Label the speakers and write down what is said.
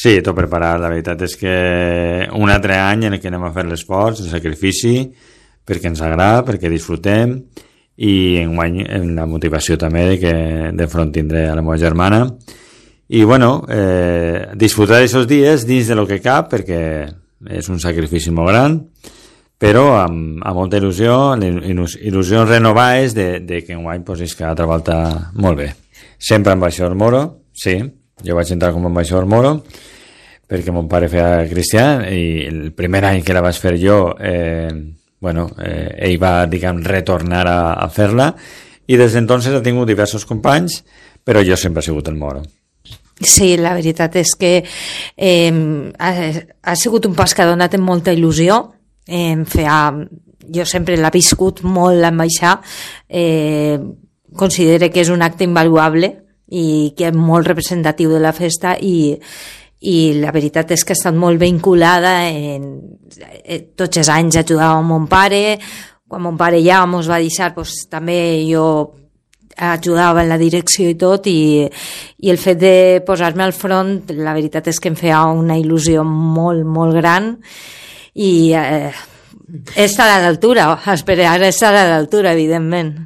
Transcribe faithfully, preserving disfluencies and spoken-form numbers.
Speaker 1: Sí, tot preparat. La veritat és que un altre any en què anem a fer l'esforç, el sacrifici, perquè ens agrada, perquè disfrutem, i enguany la motivació també de que de front tindré a la meva germana. I bueno, eh, disfrutar d'aquests dies dins de lo que cap, perquè és un sacrifici molt gran, però amb, amb molta il·lusió, il·lusions renovades de, de que enguany pues, és cada altra volta molt bé. Sempre ambaixador Moro, sí, jo vaig entrar com a ambaixador Moro, perquè mon pare feia cristià, i el primer any que la vaig fer jo, eh, bueno, eh, ell va, diguem, retornar a, a fer-la, i des d'entonces ha tingut diversos companys, però jo sempre he sigut el Moro.
Speaker 2: Sí, la veritat és que eh, ha, ha sigut un pas que ha donat amb molta il·lusió. Eh, feia, jo sempre l'he viscut molt l'ambaixar, eh, considero que és un acte invaluable i que és molt representatiu de la festa, i, i la veritat és que ha estat molt vinculada en, en tots els anys ajudava a mon pare. Quan mon pare ja mos va deixar, pues, també jo ajudava en la direcció i tot, i, i el fet de posar-me al front, la veritat és que em feia una il·lusió molt, molt gran, i eh, estar a l'altura, esperar estar a l'altura, evidentment.